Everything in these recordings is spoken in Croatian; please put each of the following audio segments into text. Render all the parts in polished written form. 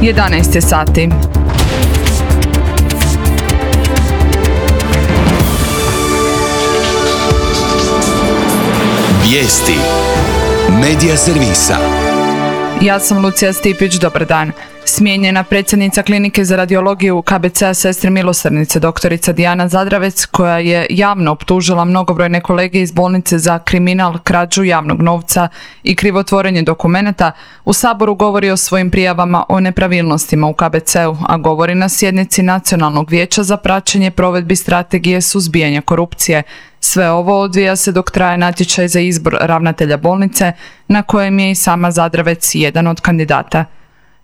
11 je sati. Vijesti Medija servisa. Ja sam Lucija Stipić, dobar dan. Smijenjena predsjednica klinike za radiologiju KBC-a Sestre milosrdnice doktorica Dijana Zadravec, koja je javno optužila mnogobrojne kolege iz bolnice za kriminal, krađu javnog novca i krivotvorenje dokumenata, u Saboru govori o svojim prijavama o nepravilnostima u KBC-u, a govori na sjednici Nacionalnog vijeća za praćenje provedbi strategije suzbijanja korupcije. Sve ovo odvija se dok traje natječaj za izbor ravnatelja bolnice, na kojem je i sama Zadravec jedan od kandidata.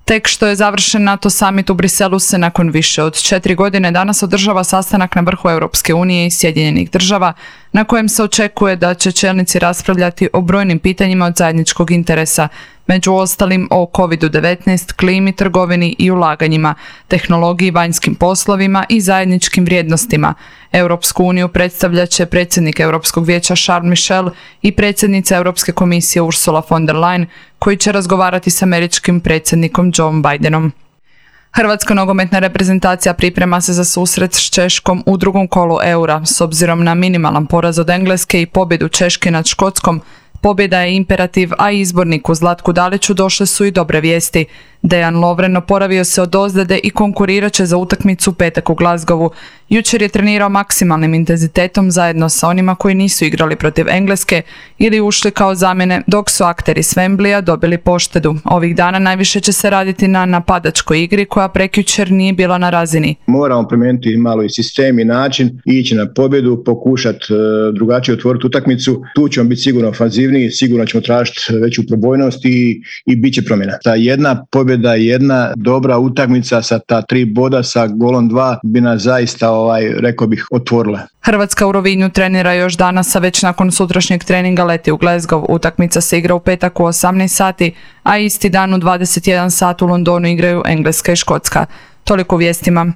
Tek što je završen NATO summit u Briselu se nakon više od 4 godine danas održava sastanak na vrhu Europske unije i Sjedinjenih država, na kojem se očekuje da će čelnici raspravljati o brojnim pitanjima od zajedničkog interesa, među ostalim o COVID-19, klimi, trgovini i ulaganjima, tehnologiji, vanjskim poslovima i zajedničkim vrijednostima. Europsku uniju predstavljat će predsjednik Europskog vijeća Charles Michel i predsjednica Europske komisije Ursula von der Leyen, koji će razgovarati s američkim predsjednikom Joe Bidenom. Hrvatska nogometna reprezentacija priprema se za susret s Češkom u drugom kolu Eura. S obzirom na minimalan poraz od Engleske i pobjedu Češke nad Škotskom, pobjeda je imperativ, a izborniku Zlatku Daliću došle su i dobre vijesti. Dejan Lovren oporavio se od ozljede i konkurirat će za utakmicu petak u Glasgowu. Jučer je trenirao maksimalnim intenzitetom zajedno sa onima koji nisu igrali protiv Engleske ili ušli kao zamjene, dok su akteri s Wembleya dobili poštedu. Ovih dana najviše će se raditi na napadačkoj igri koja prekjučer nije bila na razini. Moramo promijeniti malo i sistem i način, ići na pobjedu, pokušati drugačije otvoriti utakmicu. Tu ćemo biti sigurno ofanzivniji, sigurno ćemo tražiti veću probojnost i bit će promjena. Ta jedna pobjeda, jedna dobra utakmica sa ta 3 boda sa golom 2 bi nas zaista rekao bih, otvorila. Hrvatska u Rovinju trenira još danas, a već nakon sutrašnjeg treninga leti u Glasgow. Utakmica se igra u petak u 18 sati, a isti dan u 21 sat u Londonu igraju Engleska i Škotska. Toliko u vijestima.